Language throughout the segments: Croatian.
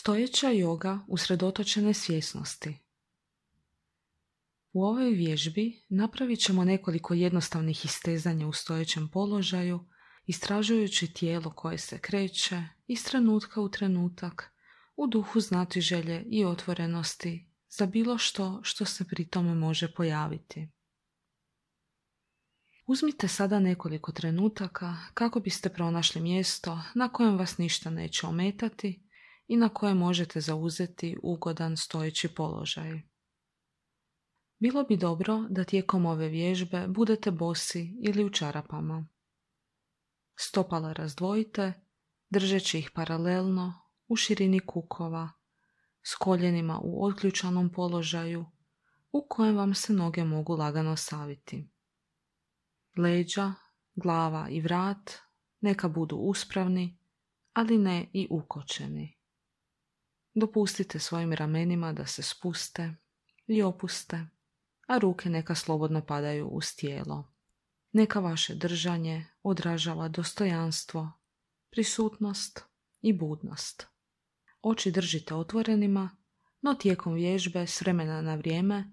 Stojeća joga usredotočene svjesnosti. U ovoj vježbi napravit ćemo nekoliko jednostavnih istezanja u stojećem položaju, istražujući tijelo koje se kreće iz trenutka u trenutak, u duhu znatiželje i otvorenosti za bilo što se pri tome može pojaviti. Uzmite sada nekoliko trenutaka kako biste pronašli mjesto na kojem vas ništa neće ometati i na kojem možete zauzeti ugodan stojeći položaj. Bilo bi dobro da tijekom ove vježbe budete bosi ili u čarapama. Stopala razdvojite, držeći ih paralelno u širini kukova, s koljenima u otključanom položaju u kojem vam se noge mogu lagano saviti. Leđa, glava i vrat neka budu uspravni, ali ne i ukočeni. Dopustite svojim ramenima da se spuste i opuste, a ruke neka slobodno padaju uz tijelo. Neka vaše držanje odražava dostojanstvo, prisutnost i budnost. Oči držite otvorenima, no tijekom vježbe s vremena na vrijeme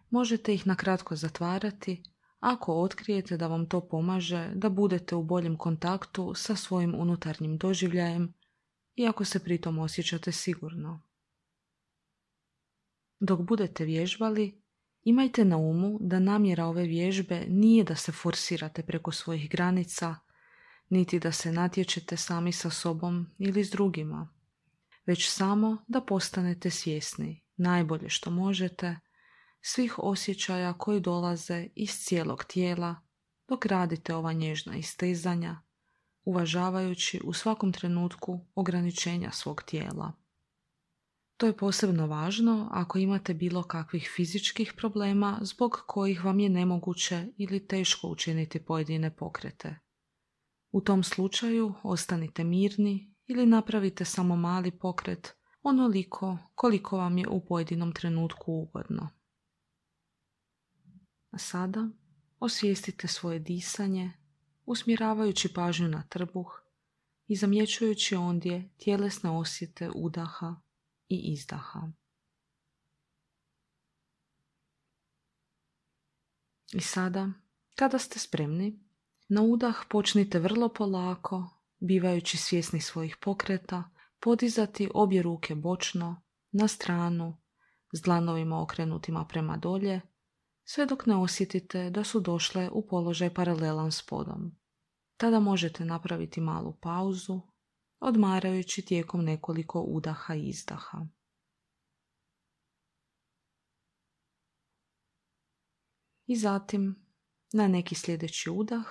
možete ih nakratko zatvarati ako otkrijete da vam to pomaže da budete u boljem kontaktu sa svojim unutarnjim doživljajem i ako se pritom osjećate sigurno. Dok budete vježbali, imajte na umu da namjera ove vježbe nije da se forsirate preko svojih granica, niti da se natječete sami sa sobom ili s drugima, već samo da postanete svjesni najbolje što možete svih osjećaja koji dolaze iz cijelog tijela dok radite ova nježna istezanja, uvažavajući u svakom trenutku ograničenja svog tijela. To je posebno važno ako imate bilo kakvih fizičkih problema zbog kojih vam je nemoguće ili teško učiniti pojedine pokrete. U tom slučaju ostanite mirni ili napravite samo mali pokret onoliko koliko vam je u pojedinom trenutku ugodno. A sada osvijestite svoje disanje, usmjeravajući pažnju na trbuh i zamjećujući ondje tjelesne osjete udaha i izdaha. I sada, kada ste spremni, na udah počnite vrlo polako, bivajući svjesni svojih pokreta, podizati obje ruke bočno, na stranu, s dlanovima okrenutima prema dolje, sve dok ne osjetite da su došle u položaj paralelan s podom. Tada možete napraviti malu pauzu, odmarajući tijekom nekoliko udaha i izdaha. I zatim, na neki sljedeći udah,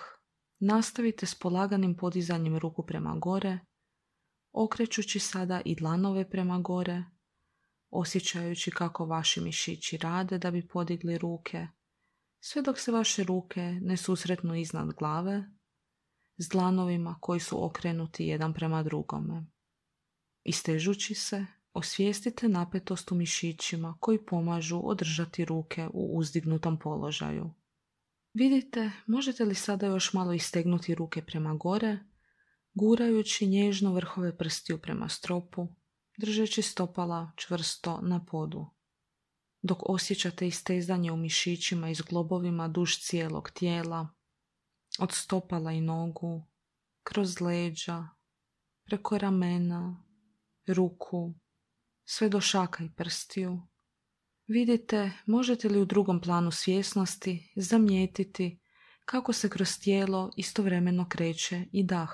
nastavite s polaganim podizanjem ruku prema gore, okrećući sada i dlanove prema gore, osjećajući kako vaši mišići rade da bi podigli ruke, sve dok se vaše ruke ne susretnu iznad glave, s dlanovima koji su okrenuti jedan prema drugome. Istežući se, osvijestite napetost u mišićima koji pomažu održati ruke u uzdignutom položaju. Vidite, možete li sada još malo istegnuti ruke prema gore, gurajući nježno vrhove prstiju prema stropu, držeći stopala čvrsto na podu. Dok osjećate istezanje u mišićima i zglobovima duž cijelog tijela, od stopala i nogu, kroz leđa, preko ramena, ruku, sve do šaka i prstiju. Vidite, možete li u drugom planu svjesnosti zamijetiti kako se kroz tijelo istovremeno kreće i dah.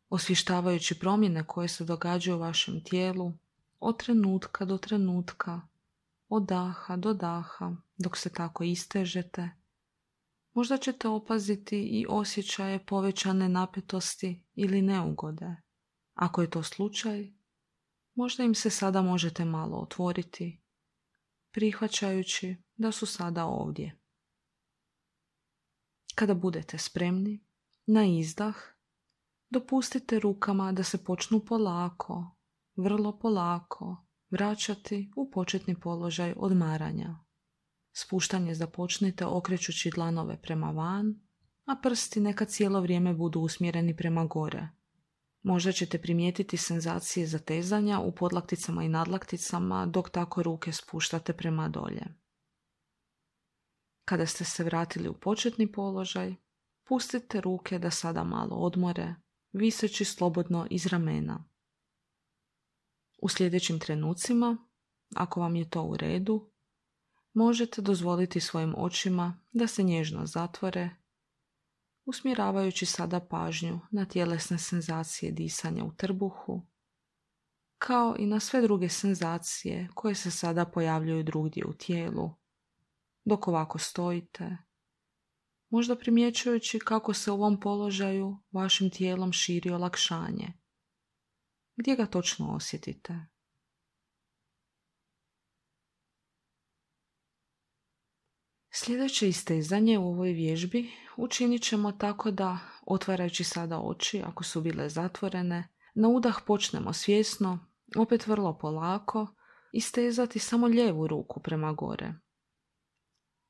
Osvještavajući promjene koje se događaju u vašem tijelu od trenutka do trenutka, od daha do daha, dok se tako istežete, možda ćete opaziti i osjećaje povećane napetosti ili neugode. Ako je to slučaj, možda im se sada možete malo otvoriti, prihvaćajući da su sada ovdje. Kada budete spremni, na izdah, dopustite rukama da se počnu polako, vrlo polako, vraćati u početni položaj odmaranja. Spuštanje započnite okrećući dlanove prema van, a prsti neka cijelo vrijeme budu usmjereni prema gore. Možda ćete primijetiti senzacije zatezanja u podlakticama i nadlakticama dok tako ruke spuštate prema dolje. Kada ste se vratili u početni položaj, pustite ruke da sada malo odmore, viseći slobodno iz ramena. U sljedećim trenucima, ako vam je to u redu, možete dozvoliti svojim očima da se nježno zatvore, usmjeravajući sada pažnju na tjelesne senzacije disanja u trbuhu, kao i na sve druge senzacije koje se sada pojavljuju drugdje u tijelu, dok ovako stojite, možda primjećujući kako se u ovom položaju vašim tijelom širi olakšanje. Gdje ga točno osjetite? Sljedeće istezanje u ovoj vježbi učinit ćemo tako da, otvarajući sada oči ako su bile zatvorene, na udah počnemo svjesno, opet vrlo polako, istezati samo lijevu ruku prema gore.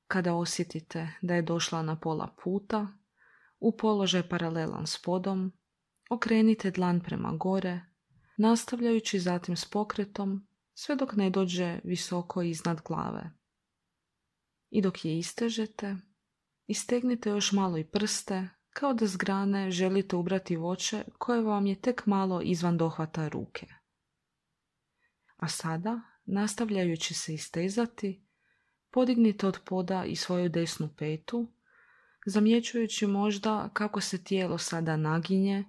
Kada osjetite da je došla na pola puta, u položaj paralelan s podom, okrenite dlan prema gore, nastavljajući zatim s pokretom sve dok ne dođe visoko iznad glave. I dok je istežete, istegnite još malo i prste, kao da s grane želite ubrati voće koje vam je tek malo izvan dohvata ruke. A sada, nastavljajući se istezati, podignite od poda i svoju desnu petu, zamjećujući možda kako se tijelo sada naginje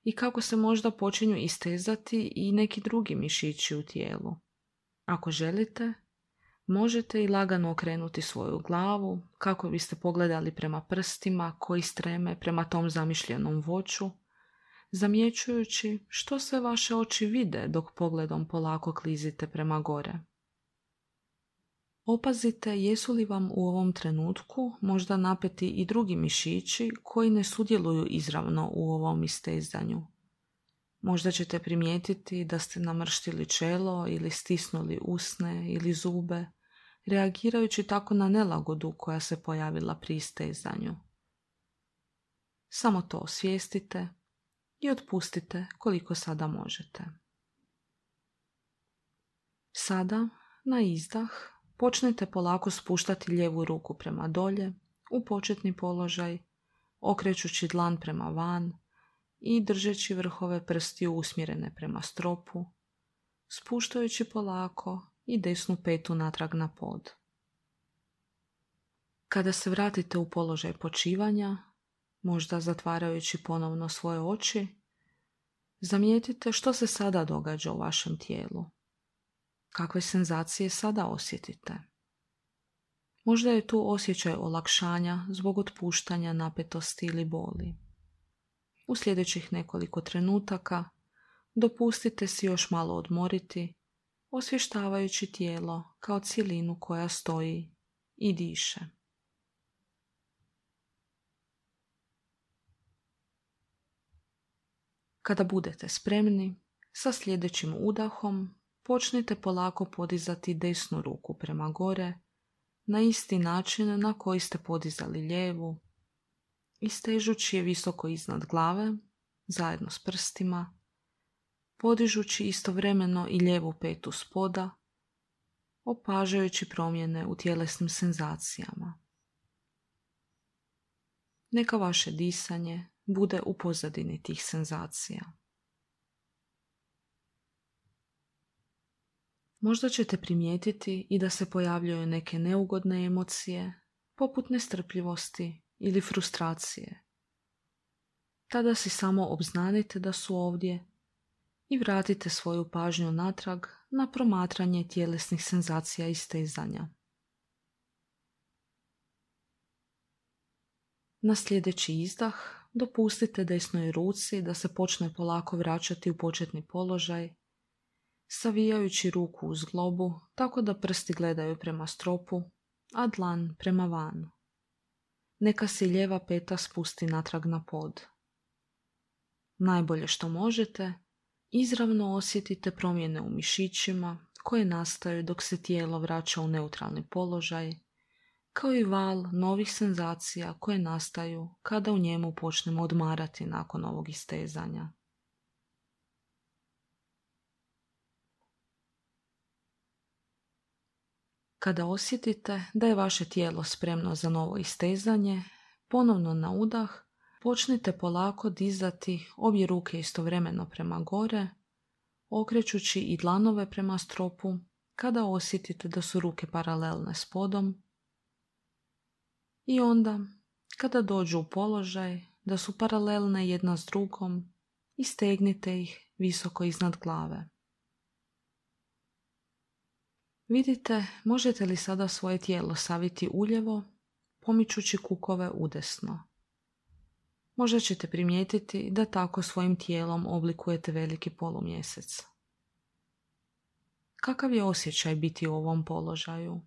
i kako se možda počinju istezati i neki drugi mišići u tijelu. Ako želite, možete i lagano okrenuti svoju glavu kako biste pogledali prema prstima koji streme prema tom zamišljenom voću, zamjećujući što sve vaše oči vide dok pogledom polako klizite prema gore. Opazite jesu li vam u ovom trenutku možda napeti i drugi mišići koji ne sudjeluju izravno u ovom istezanju. Možda ćete primijetiti da ste namrštili čelo ili stisnuli usne ili zube, reagirajući tako na nelagodu koja se pojavila pri istezanju. Samo to osvijestite i otpustite koliko sada možete. Sada, na izdah, počnite polako spuštati lijevu ruku prema dolje, u početni položaj, okrećući dlan prema van i držeći vrhove prstiju usmjerene prema stropu, spuštajući polako i desnu petu natrag na pod. Kada se vratite u položaj počivanja, možda zatvarajući ponovno svoje oči, zamijetite što se sada događa u vašem tijelu. Kakve senzacije sada osjetite? Možda je tu osjećaj olakšanja zbog otpuštanja napetosti ili boli. U sljedećih nekoliko trenutaka dopustite si još malo odmoriti, osvještavajući tijelo kao cjelinu koja stoji i diše. Kada budete spremni, sa sljedećim udahom počnite polako podizati desnu ruku prema gore, na isti način na koji ste podizali lijevu, istežući je visoko iznad glave, zajedno s prstima, podižući istovremeno i lijevu petu spoda, opažajući promjene u tjelesnim senzacijama. Neka vaše disanje bude u pozadini tih senzacija. Možda ćete primijetiti i da se pojavljuju neke neugodne emocije, poput nestrpljivosti ili frustracije. Tada si samo obznanite da su ovdje i vratite svoju pažnju natrag na promatranje tjelesnih senzacija i stezanja. Na sljedeći izdah dopustite desnoj ruci da se počne polako vraćati u početni položaj, savijajući ruku uz zglobu tako da prsti gledaju prema stropu, a dlan prema van. Neka se lijeva peta spusti natrag na pod. Najbolje što možete, izravno osjetite promjene u mišićima koje nastaju dok se tijelo vraća u neutralni položaj, kao i val novih senzacija koje nastaju kada u njemu počnemo odmarati nakon ovog istezanja. Kada osjetite da je vaše tijelo spremno za novo istezanje, ponovno na udah počnite polako dizati obje ruke istovremeno prema gore, okrećući i dlanove prema stropu kada osjetite da su ruke paralelne s podom. I onda, kada dođu u položaj da su paralelne jedna s drugom, istegnite ih visoko iznad glave. Vidite, možete li sada svoje tijelo saviti uljevo, pomičući kukove udesno. Možda ćete primijetiti da tako svojim tijelom oblikujete veliki polumjesec. Kakav je osjećaj biti u ovom položaju?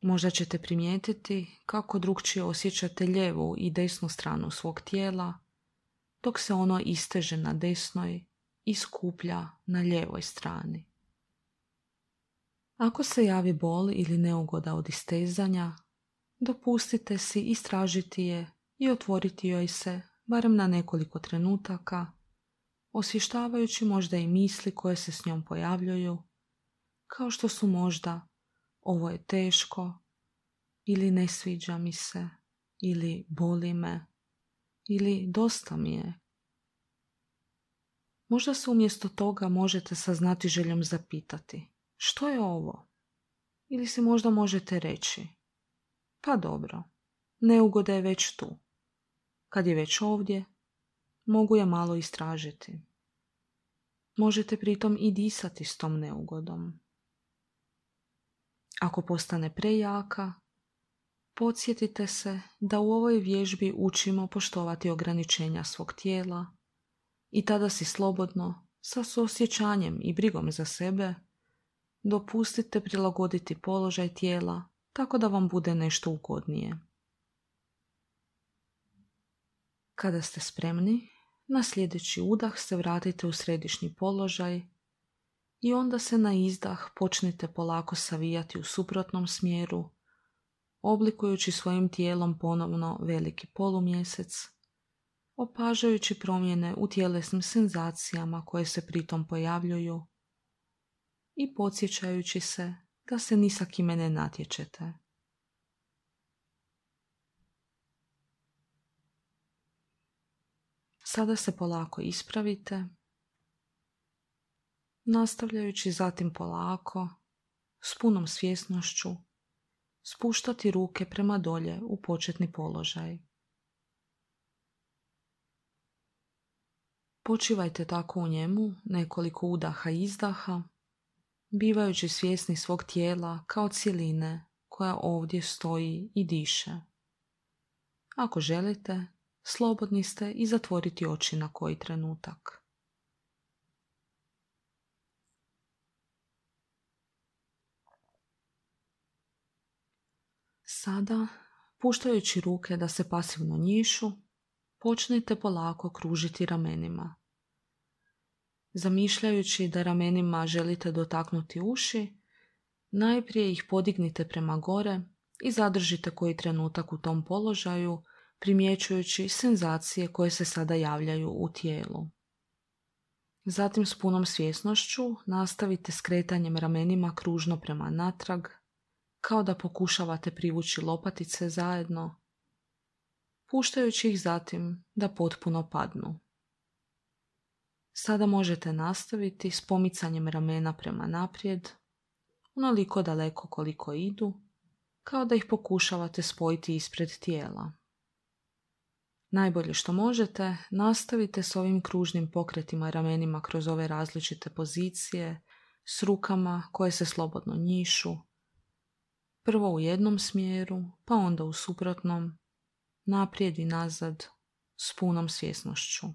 Možda ćete primijetiti kako drukčije osjećate lijevu i desnu stranu svog tijela, dok se ono isteže na desnoj i skuplja na lijevoj strani. Ako se javi bol ili neugoda od istezanja, dopustite si istražiti je i otvoriti joj se barem na nekoliko trenutaka, osvještavajući možda i misli koje se s njom pojavljuju, kao što su možda ovo je teško, ili ne sviđa mi se, ili boli me, ili dosta mi je. Možda se umjesto toga možete saznati željom zapitati, što je ovo? Ili si možda možete reći, pa dobro, neugoda je već tu. Kad je već ovdje, mogu je malo istražiti. Možete pritom i disati s tom neugodom. Ako postane prejaka, podsjetite se da u ovoj vježbi učimo poštovati ograničenja svog tijela i tada si slobodno, sa suosjećanjem i brigom za sebe, dopustite prilagoditi položaj tijela tako da vam bude nešto ugodnije. Kada ste spremni, na sljedeći udah se vratite u središnji položaj i onda se na izdah počnite polako savijati u suprotnom smjeru, oblikujući svojim tijelom ponovno veliki polumjesec, opažajući promjene u tjelesnim senzacijama koje se pritom pojavljuju i podsjećajući se da se ni sa kime ne natječete. Sada se polako ispravite, nastavljajući zatim polako, s punom svjesnošću, spuštati ruke prema dolje u početni položaj. Počivajte tako u njemu nekoliko udaha i izdaha, bivajući svjesni svog tijela kao cjeline koja ovdje stoji i diše. Ako želite, slobodni ste i zatvoriti oči na koji trenutak. Sada, puštajući ruke da se pasivno njišu, počnite polako kružiti ramenima. Zamišljajući da ramenima želite dotaknuti uši, najprije ih podignite prema gore i zadržite koji trenutak u tom položaju, primjećujući senzacije koje se sada javljaju u tijelu. Zatim s punom svjesnošću nastavite skretanjem ramenima kružno prema natrag, kao da pokušavate privući lopatice zajedno, puštajući ih zatim da potpuno padnu. Sada možete nastaviti s pomicanjem ramena prema naprijed, onoliko daleko koliko idu, kao da ih pokušavate spojiti ispred tijela. Najbolje što možete, nastavite s ovim kružnim pokretima ramenima kroz ove različite pozicije, s rukama koje se slobodno njišu, prvo u jednom smjeru, pa onda u suprotnom, naprijed i nazad, s punom svjesnošću.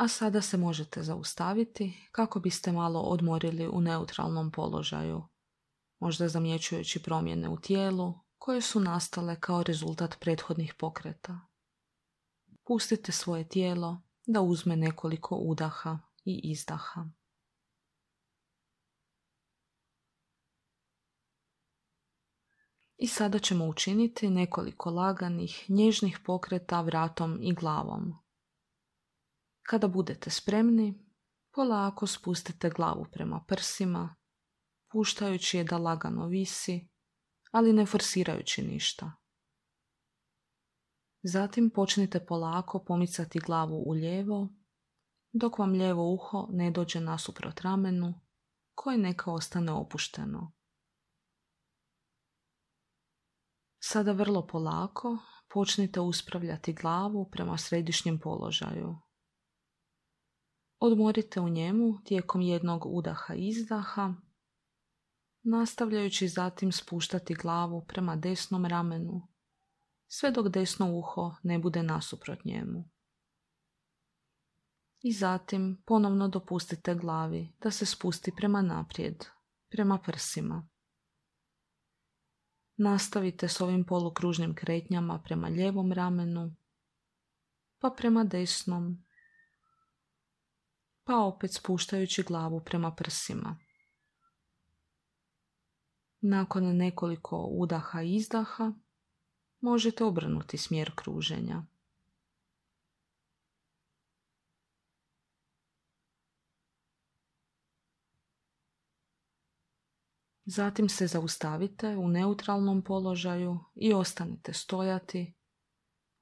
A sada se možete zaustaviti kako biste malo odmorili u neutralnom položaju, možda zamjećujući promjene u tijelu koje su nastale kao rezultat prethodnih pokreta. Pustite svoje tijelo da uzme nekoliko udaha i izdaha. I sada ćemo učiniti nekoliko laganih, nježnih pokreta vratom i glavom. Kada budete spremni, polako spustite glavu prema prsima, puštajući je da lagano visi, ali ne forsirajući ništa. Zatim počnite polako pomicati glavu u lijevo, dok vam lijevo uho ne dođe nasuprot ramenu, koje neka ostane opušteno. Sada vrlo polako počnite uspravljati glavu prema središnjem položaju. Odmorite u njemu tijekom jednog udaha i izdaha, nastavljajući zatim spuštati glavu prema desnom ramenu, sve dok desno uho ne bude nasuprot njemu. I zatim ponovno dopustite glavi da se spusti prema naprijed, prema prsima. Nastavite s ovim polukružnim kretnjama prema lijevom ramenu, pa prema desnom, pa opet spuštajući glavu prema prsima. Nakon nekoliko udaha i izdaha možete obrnuti smjer kruženja. Zatim se zaustavite u neutralnom položaju i ostanite stojati,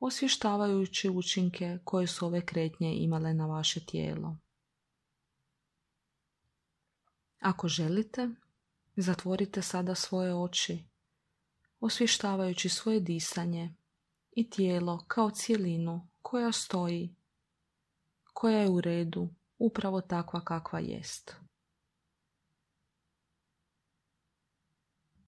osvještavajući učinke koje su ove kretnje imale na vaše tijelo. Ako želite, zatvorite sada svoje oči, osvještavajući svoje disanje i tijelo kao cjelinu koja stoji, koja je u redu, upravo takva kakva jest.